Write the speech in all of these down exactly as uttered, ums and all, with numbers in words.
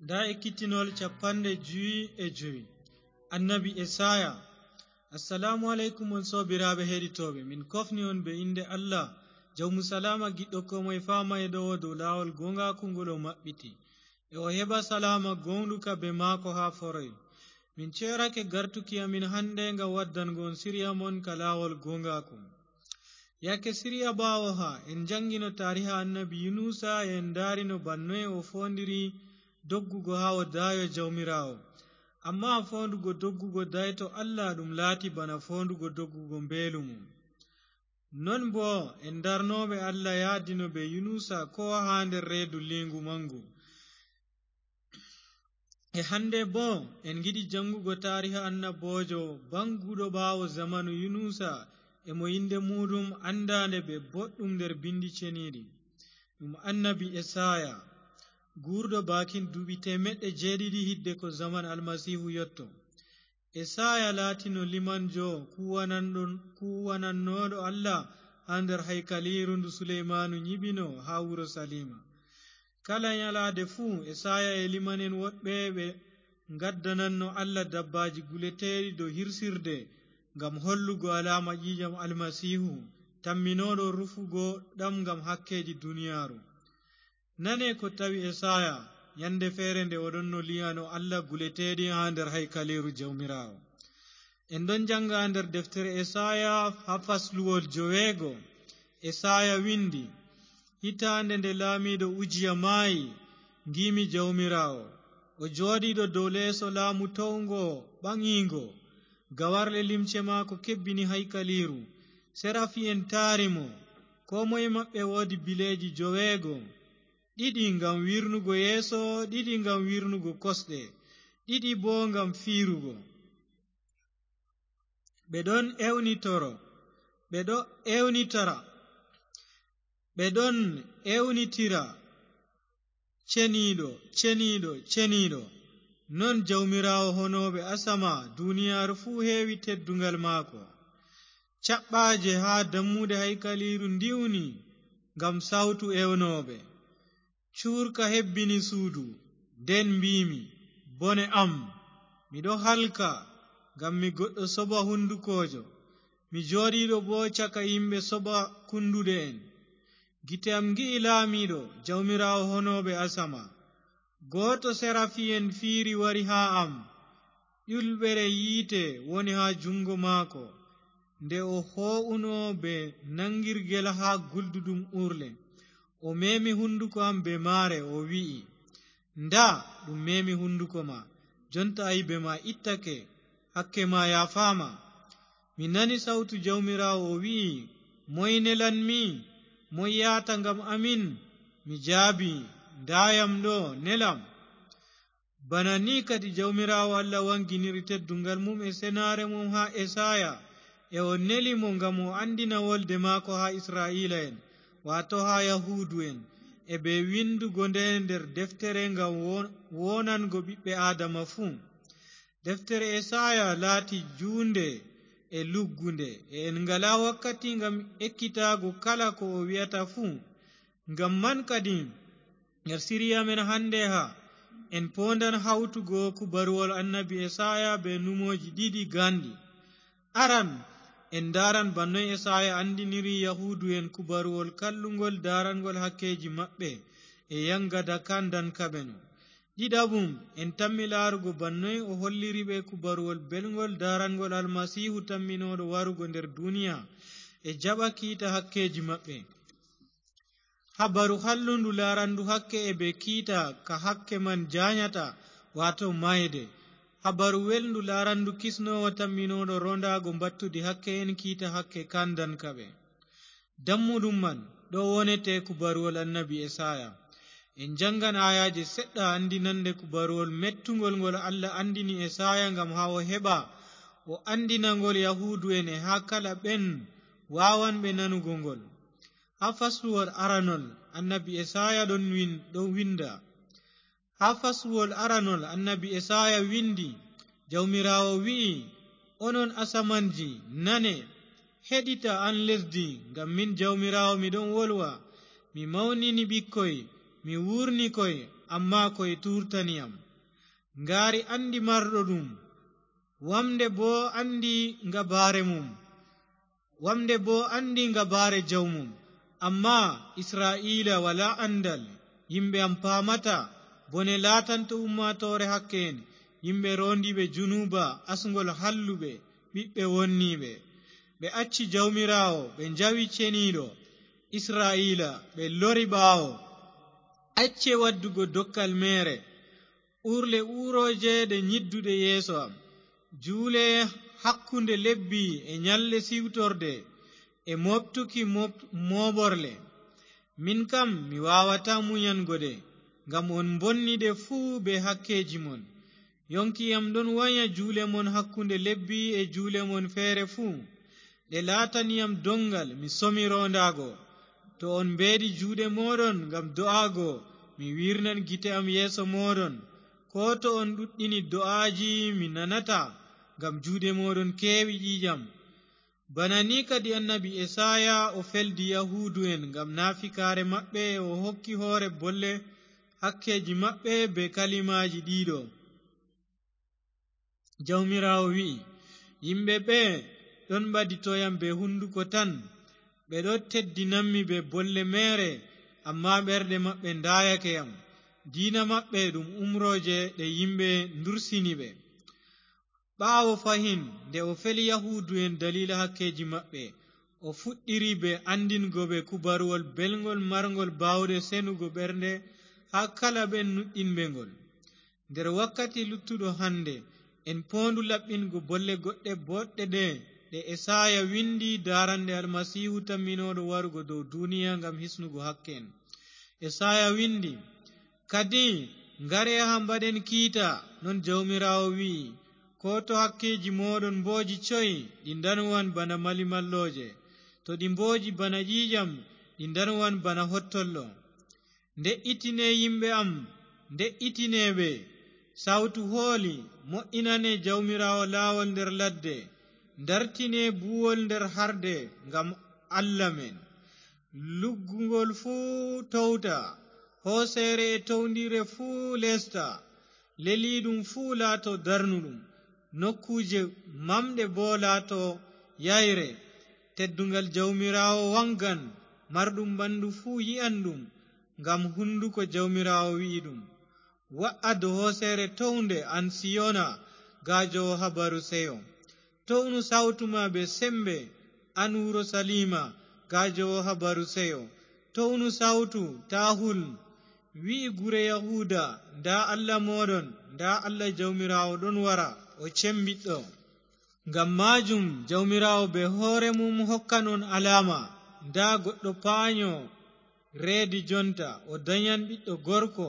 Nda ekkitinol capanɗe jowi e jowi. Annabi Esaya. Assalamu aleykum, on soobiraaɓe heɗitooɓe. Min kofni on be innde Allah, jawmu salaama, giɗɗo koo moye faama e ɗowo dow laawol gooŋgaaku ngol o maɓɓiti. E o heɓa salaama gooŋɗuka be maako haa foroy. Min ceerake gartuki amin hande ngam waddango on siriya mon ka laawol gooŋgaaku. Yaake siriya ɓaawo haa, en jaŋgino taariha annabi Yunusa, e en ndaarino bannoye o foondiri doggugo haa o daayo Jawmiraawo. Ammaa foondugo doggugo dayto Allah ɗum laati bana foondugo doggugo mbeelu mum. Non boo en ndarnooɓe Allah yaadino be Yunusa koo haa nder reedu liingu maŋgu. E hande boo en ngiɗi jaŋgugo taariha annaboojo baŋguɗo ɓaawo zamanu Yunusa, e mo innde muuɗum anndaande be boɗɗum nder bindi ceniiɗi. Ɗum annabi Esaya, guurɗo baakin duuɓi teemeɗɗe jeeɗiɗi hidde ko zaman Almasiihu yotto. Esaya laatino limanjo kuwananɗo, kuwanannooɗo Allah haa nder haykaliiru ndu Suleymaanu nyiɓino haa Urusaliima. Kala nyalaade fuu, Esaya e liman'en woɗɓe ɓe ngaddananno Allah dabbaaji guleteeɗi dow hirsirde, ngam hollugo alaama ƴiiƴam Almasiihu, tamminooɗo rufugo ɗam ngam hakkeeji duniyaaru. Nane ko tawi Esaya, nyande feere nde o ɗonno lii'ano Allah guleteeɗi haa nder haykaliiru Jawmiraawo. En ɗon jaŋga nder deftere Esaya haa fasluwol joweego. Esaya windi, hitaande nde laamiiɗo Ujiya maayi, ngiimi Jawmiraawo. O jooɗiiɗo dow leeso laamu towngo ɓaŋiingo. Gawarle limce maako kebbini haykaliiru. Serafi'en taari mo. Koo moye maɓɓe woodi bileeji joweego. Ɗiɗi ngam wirnugo yeeso, ɗiɗi ngam wirnugo kosɗe, ɗiɗi boo ngam fiirugo. Ɓe ɗon ewnitoro, ɓe ɗo ewnitara, ɓe ɗon ewnitira, "Ceniiɗo, ceniiɗo, ceniiɗo." Non Jawmiraawo honooɓe asama, duniyaaru fuu heewi teddungal maako. Caɓɓaaje haa dammuɗe haykaliiru ndiwni ngam sawtu ewnooɓe. Cuurka hebbini suudu, nden mbiimi, "Bone am, miɗo halka, ngam mi goɗɗo soba hundukoojo, mi jooɗiiɗo boo caka yimɓe soba kunduɗe'en." Gite am ngi'i laamiiɗo, Jawmiraawo honooɓe asama. Gooto serafi'en fiiri wari haa am. Ƴulɓere yiite woni haa juŋŋgo maako. Nde o hoo'uno bee naŋgirgel haa gulduɗum uurle, o meemi hunduko am bee maare, o wi'i, "Ndaa, ɗum meemi hunduko ma. Jonta aybe ma ittake, hakke ma yaafaama." Mi nani sawtu Jawmiraawo, o wi'i, "Moy nelanmi? Moy yahata ngam amin?" Mi jaabi, "Ndaayam ɗo, nelam." Bana ni kadi Jawmiraawo Allah waŋginiri tedduŋgal mum e senaare mum haa Esaya, e o neli mo ngam o anndina wolde maako haa Isra'iila'en, waato haa Yahuudu'en, e bee winndugo nde nder deftere ngam wo-, woonango ɓiɓɓe Aadama fuu. Deftere Esaya laati juunde e luggunde, e en ngalaa wakkati ngam ekkitaago kala ko o wi'ata fuu. Ngam man kadi, nder siriya men hande haa, en poondan hawtugo kubaruwol annabi Esaya bee numooji ɗiɗi gaanɗi. Aran, en ndaaran bannoy Esaya anndiniri Yahuudu'en kubaruwol kalluŋgol daaranŋgol hakkeeji maɓɓe e yaŋgada kaandankaɓe no. Ɗiɗaɓum, en tammi laarugo bannoy o holliri ɓe kubaruwol belŋgol daaranŋgol Almasiihu tamminooɗo warugo nder duniya e jaɓa kiita hakkeeji maɓɓe. Habaru hallundu laarandu hakke e bee kiita ka hakke man jaanyata, waato maayde. Habaru welndu laarandu kisnoowo tamminooɗo roondaago mbattudi hakke en kiita hakke kaandankaɓe. Dammuɗum man ɗo wonete kubaruwol annabi Esaya. En jaŋgan aayaaje seɗɗa anndinannde kubaruwol mettuŋgol ngol Allah anndini Esaya ngam haa o heɓa o anndina ngol Yahuudu'en e haa kala ɓen waawanɓe nanugo ngol. Haa fasluwol aranol, annabi Esaya ɗon win-, ɗon winnda. Haa fasluwol aranol, annabi Esaya winndi, Jawmiraawo wi'i, "Onon asamanji, nane, heɗita an lesdi, ngam min Jawmiraawo mi ɗon wolwa. Mi mawnini ɓikkoy, mi wuurni koy, ammaa ko e tuurtaniyam. Ngaari anndi marɗo ɗum, wamnde boo anndi ngabaare mum. Wamnde boo anndi ngabaare jawmum. Ammaa Israa'iila walaa anndal, yimɓe am paamataa. Bone laatanto ummaatoore hakke en, yimɓe roondiiɓe junuuba, asŋgol halluɓe, ɓiɓɓe wonniiɓe. Ɓe acci Jawmiraawo, ɓe njawi Ceniiɗo Israa'iila, ɓe lori ɓaawo. Acce waddugo dokkal meere, uurle uurooje ɗe nyidduɗe yeeso am. Juule hakkunde lebbi e nyalɗe siwtorde e mooɓtuki mooɓ-, mooɓorle. Min kam mi waawataa munyango ɗe, ngam on mbonni ɗe fuu bee hakkeeji mon. Yonki am ɗon wanya juule mon hakkunde lebbi e juule mon feere fuu. Ɗe laatani am doŋngal mi somi roondaago. To on mbeeɗi juuɗe mooɗon ngam do'aago, mi wiirnan gite am yeeso mooɗon. Koo to on ɗuɗɗini do'aaji mi nanataa, ngam juuɗe mooɗon keewi ƴiiƴam. Bana ni kadi annabi Esaaya o feldi Yahuudu'en ngam naafikaare maɓɓe, o hokki hoore bolle hakkeeji maɓɓe bee kalimaaji ɗiɗo. Jawmiraawo wi'i, yimɓe ɓe ɗon ɓadito yam bee hunduko tan, ɓe ɗon teddinammi bee bolle meere, ammaa ɓerɗe maɓɓe ndaayake yam. Diina maɓɓe ɗum umrooje ɗe yimɓe ndursini ɓe. Ɓaawo fahin, nde o feli Yahuudu'en daliila hakkeeji maɓɓe, o fuɗɗiri bee anndingo ɓe kubaruwol belŋgol marŋgol baawɗe senugo ɓernde haa kala ɓen nuɗɗinɓe ngol. Nder wakkati luttuɗo hannde, en poondu laɓɓingo bolle goɗɗe booɗɗe ɗe, ɗe Esaaya winndi, daaranɗe Almasiihu tamminooɗo warugo dow duniya ngam hisnugo hakke en. Esaaya winndi, kadi, ngare haa mbaɗen kiita, non Jawmiraawo wi'i, koo to hakkeeji mooɗon mbooji coy, ɗi ndanwan bana malimallooje. To ɗi mbooji bana ƴiiƴam, ɗi ndanwan bana hottollo. Nde'itine yimɓe am, nde'itine ɓe. Sawtu hooli, mo'inane Jawmiraawo laawol nder ladde. Ndartine buuwol nder harde ngam Allah men. Luggungol fuu towta, hooseere e towndiire fuu leesta. Leliiɗum fuu laato darnuɗum, nokkuuje mamɗe boo laato yayre. Tedduŋgal Jawmiraawo waŋgan, marɗum ɓandu fuu yi'an ɗum, ngam hunduko Jawmiraawo wi'i ɗum. Wa'a dow hooseere townde, an Siyona, gaajoowo habaru seyo. Townu sawtu ma bee sembe, an Urusaliima, gaajoowo habaru seyo. Townu sawtu, taa hul. Wi'i gure Yahuuda, ndaa Allah mooɗon, ndaa Allah Jawmiraawo ɗon wara, o cembiɗɗo. Ngam maajum Jawmiraawo bee hoore mum hokkan on alaama, ndaa goɗɗo paanyo reedi jonta, o danyan ɓiɗɗo gorko,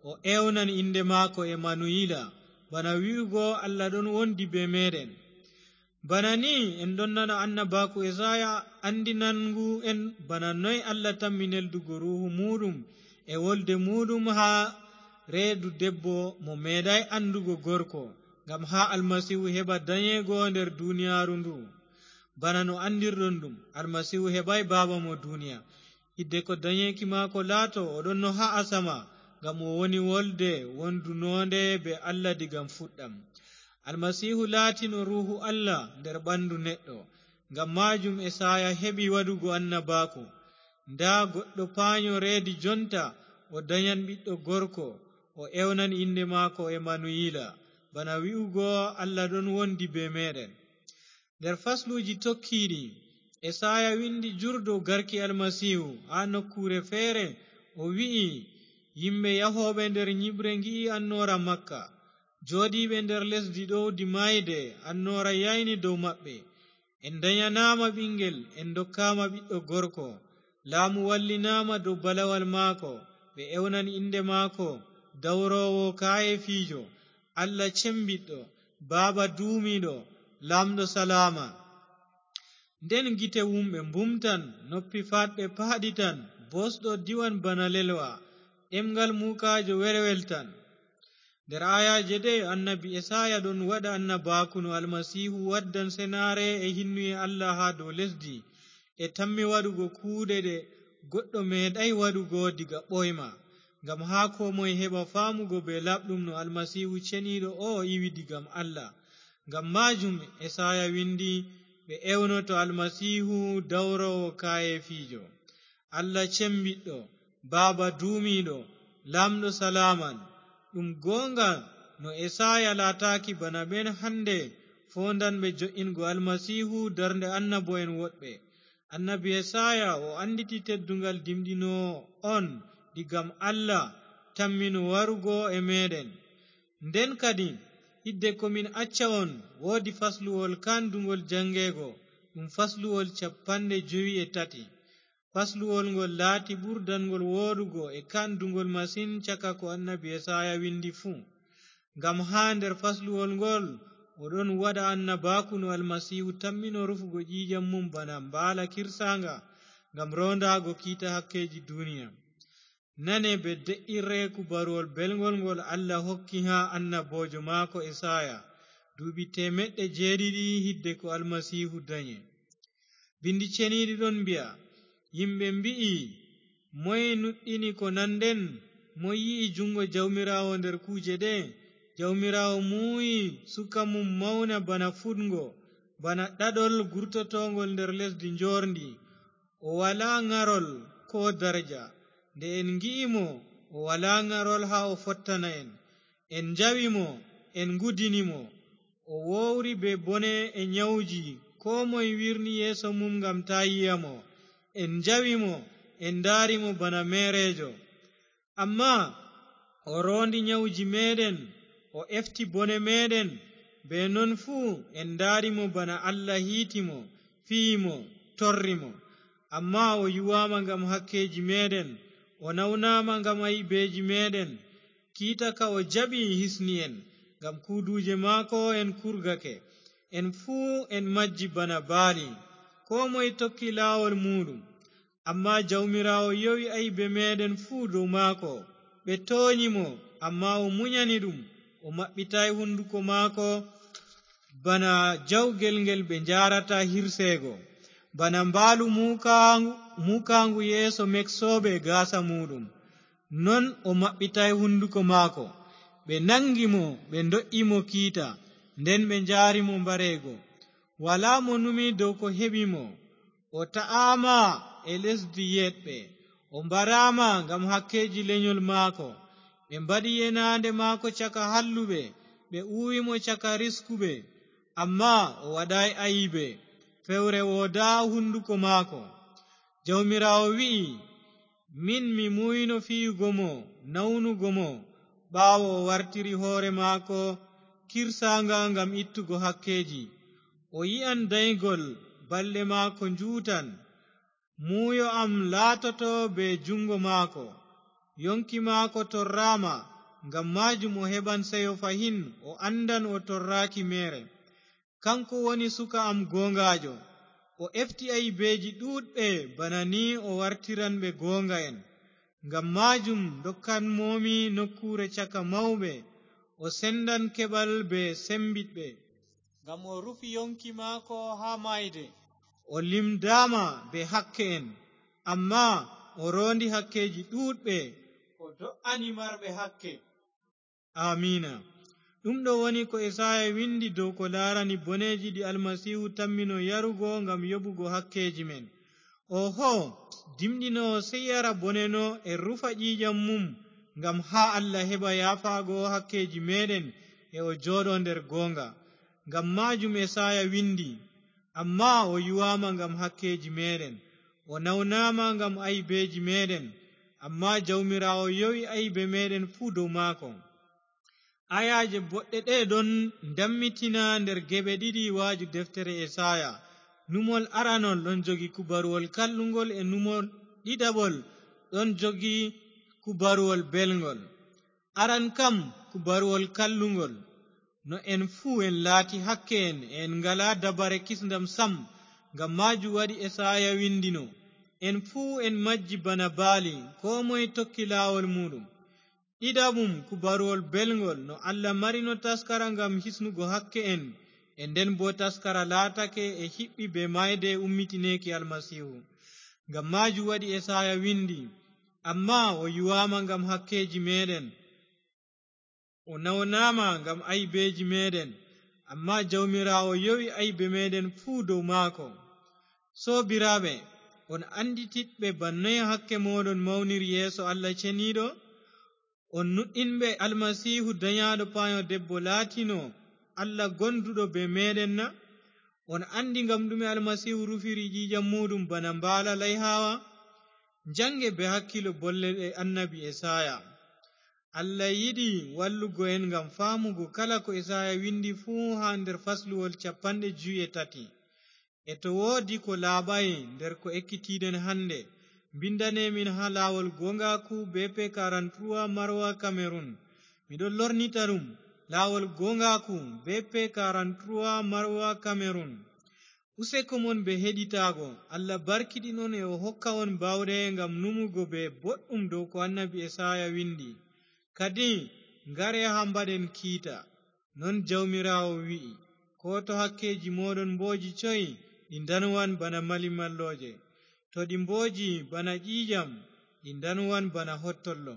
o ewnan innde maako Emanuwiila, bana wi'ugo Allah ɗon wondi bee meeɗen. Bana ni en ɗon nana annabaaku Esaaya anndinanŋgu en bana noy Allah tammi neldugo Ruuhu muuɗum e wolde muuɗum haa reedu debbo mo meeɗaay anndugo gorko, ngam haa Almasiihu heɓa danyeego nder duniyaaru ndu. Bana no anndirɗon ɗum, Almasiihu heɓaay baaba mo duniya. Hiddeko danyeeki maako laato, o ɗonno haa asama, ngam o woni wolde wondunoonde bee Allah diga fuɗɗam. Almasiihu laatino Ruuhu Allah nder ɓandu neɗɗo. Ngam maajum Esaaya heɓi waɗugo annabaaku, ndaa goɗɗo paanyo reedi jonta, o danyan ɓiɗɗo gorko, o ewnan innde maako Emanuwiila, bana wi'ugo Allah ɗon wondi bee meeɗen. Nder fasluuji tokkiiɗi, Esaaya winndi jurɗo garki Almasiihu haa nokkuure feere, o wi'i, yimɓe yahooɓe nder nyiɓre ngi'i annoora Makka. Jooɗiiɓe nder lesdi ɗowdi maayde, annoora yayni dow maɓɓe. En ndanyanaama ɓiŋngel, en ndokkaama ɓiɗɗo gorko. Laamu wallinaama dow balawal maako, ɓe ewnan innde maako, dawroowo kaayeefiijo, Allah cembiɗɗo, Baaba duumiiɗo, Laamɗo salaama. Nden gite wumɓe mbumtan, noppi faatɓe paaɗitan, boosɗo diwan bana lelwa, ɗemŋgal muukaajo welweltan. Nder aayaaje ɗe, annabi Esaaya ɗon waɗa annabaaku no Almasiihu waddan senaare e hinnuye Allah haa dow lesdi, e tammi waɗugo kuuɗe ɗe goɗɗo meeɗaay waɗugo diga ɓooyma. ngam haa koo moye heɓa faamugo bee laaɓɗum no Almasiihu ceniiɗo oo iwi digam Allah. Ngam maajum Esaaya windi, "Ɓe ewnoto Almasiihu dawroowo kaayeefiijo." Allah cembiɗɗo, Baaba duumiiɗo, Laamɗo salaaman. Ɗum gooŋga no Esaaya laataaki bana ɓen hannde foondanɓe jo'ingo Almasiihu darnde annabo'en woɗɓe. Annabi Esaaya o annditi tedduŋgal dimɗinoowo on digam Allah tammino warugo e meeɗen. Nden kadi, hidde ko min acca on, woodi fasluwol kaanduŋgol jaŋgeego, ɗum fasluwol cappanɗe jowi e tati. Fasluwol ngol laati ɓurdangol wooɗugo e kaanduŋgol masin caka ko annabi Esaaya windi fuu. Ngam haa nder fasluwol ngol o ɗon waɗa annabaaku no Almasiihu tammino rufugo ƴiiƴam mum bana mbaala kirsaaŋga, ngam roondaago kiita hakkeeji duniya. Nane bee de'irre kubaruwol belŋgol ngol Allah hokki haa annaboojo maako Esaaya, duuɓi teemeɗɗe jeeɗiɗi hidde ko Almasiihu danyi. Binndi ceniiɗi ɗon mbi'a, yimɓe mbi'i, "Moye nuɗɗini ko nanɗen? Moye yi'i juŋngo Jawmiraawo nder kuuje ɗe?" Jawmiraawo muuyi suka mum mawna bana fuɗngo, bana ɗaɗol gurtotooŋgol nder lesdi njoorndi. O walaa ŋarol koo darja. Nde en ngi'i mo, o walaa ŋarol haa o fottana en. En njawi mo, en ngudini mo. O wowri bee bone e nyawji, koo moy wirni yeeso mum ngam taa yi'a mo. En njawi mo, en ndaari mo bana meereejo. Ammaa o roondi nyawji meeɗen, o efti bone meeɗen. Bee non fuu en ndaari mo bana Allah hiiti mo, fiyi mo, torri mo. Ammaa o yuwaama ngam hakkeeji meeɗen, o nawnaama ngam ayibeeji meeɗen. Kiita ka o jaɓi hisni en, ngam kuuduuje maako en kurgake. En fuu en majji bana baali, koo moy tokki laawol muuɗum. Ammaa Jawmiraawo yowi aybe meeɗen fuu dow maako. Ɓe toonyi mo, ammaa o munyani ɗum, o maɓɓitaay hunduko maako bana jawgel ngel ɓe njaarata hirseego, bana mbaalu muukaaŋgu, muukaaŋgu yeeso meksooɓe gaasa muuɗum. Non o maɓɓitaay hunduko maako. Ɓe naŋgi mo, ɓe ndo'i mo kiita, nden ɓe njaari mo mbareego. Walaa mo numi dow ko heɓi mo. O ta'aama e lesdi yeeɗɓe, o mbaraama ngam hakkeeji lenyol maako. Ɓe mbaɗi yenaande maako caka halluɓe, ɓe uwi mo caka riskuɓe. Ammaa o waɗaay ayibe, fewre woodaa hunduko maako. Jawmiraawo wi'i, "Min mi muuyno fiyugo mo, nawnugo mo, ɓaawo o wartiri hoore maako kirsaaŋga ngam ittugo hakkeeji. O yi'an daygol, balɗe maako njuutan. Muuyo am laatoto bee juŋngo maako. Yoŋki maako torraama, ngam maajum o heɓan seyo fahin, o anndan o torraaki meere. Kaŋko woni suka am gooŋgaajo. O efti aybeeji ɗuuɗɓe, bana ni o wartiran ɓe gooŋga'en. Ngam maajum ndokkan moomi nokkuure caka mawɓe, o sendan keɓal bee sembiɗɓe. Ngam o rufi yoŋki maako haa maayde. O limdaama bee hakke'en, ammaa o roondi hakkeeji ɗuuɗɓe, o do'ani marɓe hakke." Aamiina. Ɗum ɗo woni ko Esaaya windi dow ko laarani boneeji ɗi Almasiihu tammino yarugo ngam yoɓugo hakkeeji men. Oho, dimɗinoowo sey yara bone no e rufa ƴiiƴam mum, ngam haa Allah heɓa yaafaago hakkeeji meeɗen e o jooɗo nder gooŋga. Ngam maajum Esaaya windi, "Ammaa o yuwaama ngam hakkeeji meeɗen, o nawnaama ngam aybeeji meeɗen, ammaa Jawmiraawo yowi aybe meeɗen fuu dow maako." Ayaaje boɗɗe ɗe'e ɗon ndammitina nder geɓe ɗiɗi waaju deftere Esaaya. Numol aranol ɗon jogi kubaruwol kalluŋgol e numol ɗiɗaɓol ɗon jogi kubaruwol belŋgol. Aran kam, kubaruwol kalluŋgol. No en fuu en laati hakke'en, en ngalaa dabare kisndam sam, ngam maajum waɗi Esaaya windino, "En fuu en majji bana baali, koo moye tokki laawol muuɗum." Ɗiɗaɓum, kubaruwol belŋgol, no Allah marino taskara ngam hisnugo hakke'en, e nden boo taskara laatake e hiɓɓi bee maayde e ummitineeki Almasiihu. Ngam maajum waɗi Esaaya windi, Amma o yuwaama ngam hakkeeji meeɗen, o nawnaama ngam aybeeji meeɗen, amma Jawmiraawo yowi aybe meeɗen fuu dow maako. Soobiraaɓe, on anndititɓe bannoy hakke mooɗon mawniri yeeso Allah Ceniiɗo? On nuɗɗinɓe Almasiihu danyaaɗo paayo debbo laatino Allah gonduɗo bee meeɗen na? On anndi ngam ɗume Almasiihu rufiri ƴiiƴam muuɗum bana mbaala layhaawa? Njannge bee hakkiilo bolle ɗe annabi Esaaya. Allah yiɗi wallugo en ngam faamugo kala ko Esaaya windi fuu haa nder fasluwol cappanɗe jowi e tati. E to woodi ko laaɓaay nder ko ekkitiiɗen hannde, mbindane min haa laawol gooŋgaaku B P quarante-trois Maroua Cameroun. Miɗon lornita ɗum, laawol gooŋgaaku B P quarante-trois Maroua Cameroun. Useko mon bee heɗitaago, Allah barkiɗin on e o hokka on baawɗe ngam numugo bee boɗɗum dow ko annabi Esaaya windi. Kadi, ngare haa mbaɗen kiita. Non Jawmiraawo wi'i, koo to hakkeeji mooɗon mbooji coy, ɗi ndanwan bana malimallooje. To ɗi mbooji bana ƴiiƴam, ɗi ndanwan bana hottollo.